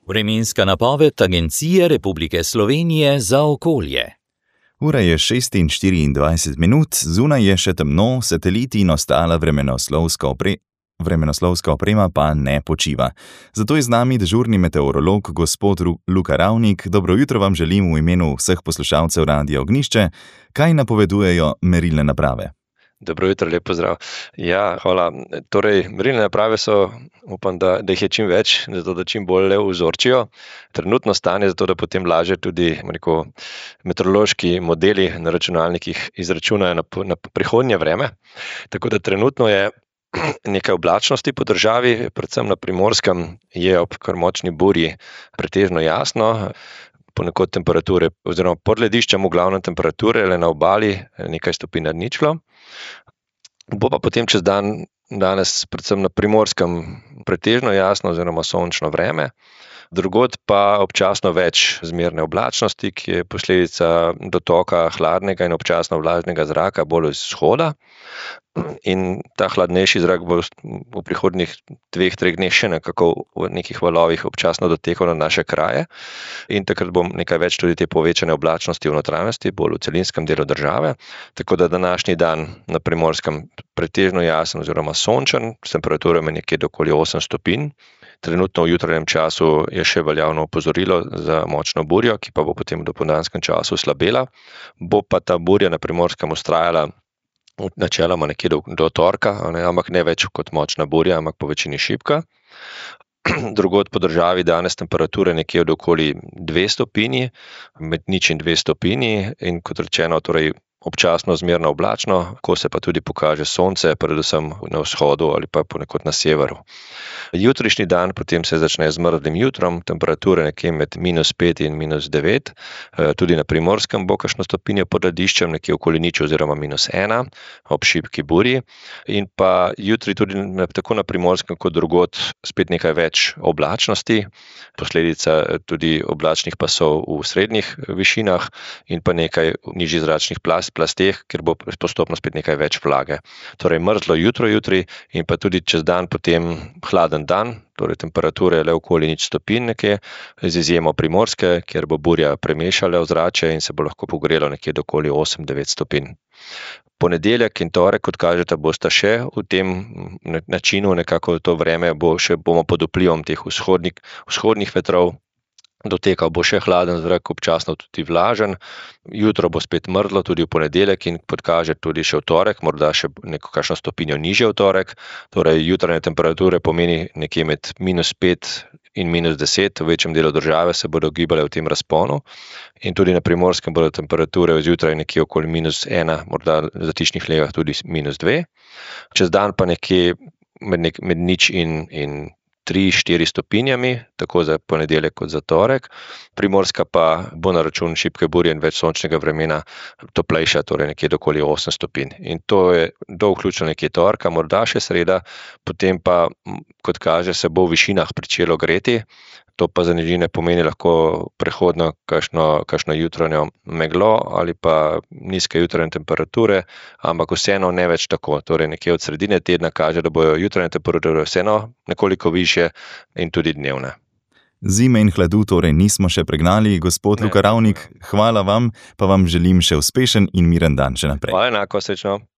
Vremenska napoved Agencije Republike Slovenije za okolje. Ura je 6:24, zunaj je še temno, sateliti in ostala vremenoslovska oprema pa ne počiva. Zato je z nami dežurni meteorolog gospod Luka Ravnik. Dobro jutro vam želim v imenu vseh poslušalcev Radia Ognjišče. Kaj napovedujejo merilne naprave? Dobro jutro, lep pozdrav. Ja, hvala. Torej, merilne naprave so, upam, da jih je čim več, zato da čim bolj vzorčijo trenutno stanje, zato da potem lažje tudi meteorološki modeli na računalnikih izračunajo na prihodnje vreme. Tako da trenutno je nekaj oblačnosti po državi, predvsem na Primorskem je ob kar močni burji pretežno jasno. Ponekod temperature, oziroma pod lediščem v glavnem temperature, le na obali nekaj stopinj nad ničlo. Bo pa potem čez dan danes predvsem na Primorskem pretežno jasno oziroma sončno vreme. Drugod pa občasno več zmerne oblačnosti, ki je posledica dotoka hladnega in občasno vlažnega zraka bolj iz vzhoda. In ta hladnejši zrak bo v prihodnjih 2-3 dneh še nekako v nekih valovih občasno dotekal na naše kraje. In takrat bo nekaj več tudi te povečane oblačnosti v notranjosti, bolj v celinskem delu države. Tako da današnji dan na Primorskem pretežno jasen oziroma sončen, s temperaturami nekje do okoli 8 stopinj. Trenutno v jutranjem času je še veljavno opozorilo za močno burjo, ki pa bo potem v dopoldanskem času slabela. Bo pa ta burja na Primorskem vztrajala načeloma nekje do torka, ampak ne več kot močna burja, ampak po večini šibka. Drugod po državi danes temperature nekje od okoli 2 stopinji, med 0 in 2 stopinji in kot rečeno, torej občasno zmerno oblačno, ko se pa tudi pokaže sonce, predvsem na vzhodu ali pa ponekod na severu. Jutrišnji dan potem se začne z mrzlim jutrom, temperature nekje med -5 in -9, tudi na Primorskem bo kakšno stopinjo pod lediščem, nekje okoli 0 oziroma -1 ob šibki burji. In pa jutri tudi tako na Primorskem kot drugod spet nekaj več oblačnosti, posledica tudi oblačnih pasov v srednjih višinah in pa nekaj nižjih zračnih plasteh, ker bo postopno spet nekaj več vlage. Torej mrzlo jutro jutri in pa tudi čez dan potem hladen dan, torej temperature le okoli 0 stopinj nekje, z izjemo Primorske, kjer bo burja premešala ozračje in se bo lahko pogrelo nekje do okoli 8-9 stopinj. Ponedeljek in torek, kot kažeta, bosta še v tem načinu, nekako to vreme bomo pod vplivom teh vzhodnih vetrov. Dotekal bo še hladen zrak, občasno tudi vlažen. Jutro bo spet mrzlo tudi v ponedeljek in podkaže tudi še v torek, morda še kakšno stopinjo nižje v torek. Torej jutranje temperature pomeni nekje med -5 in -10, v večjem delu države se bodo gibale v tem razponu. In tudi na Primorskem bodo temperature zjutraj nekje okoli -1, morda v zatišnih legah tudi -2. Čez dan pa nekje med 0 in 3-4 stopinjami, tako za ponedeljek kot za torek. Primorska pa bo na račun šibke burje in več sončnega vremena toplejša, torej nekje do okoli 8 stopinj. In to je do vključno nekje torka, morda še sreda, potem pa, kot kaže, se bo v višinah pričelo greti. To pa za nižine pomeni lahko prehodno kakšno jutranjo meglo ali pa nizke jutranje temperature, ampak vseeno ne več tako. Torej nekje od sredine tedna kaže, da bojo jutranje temperature vseeno nekoliko višje in tudi dnevne. Zime in hladu torej nismo še pregnali. Gospod Luka Ravnik, hvala vam, pa vam želim še uspešen in miren dan še naprej. Hvala enako, srečno.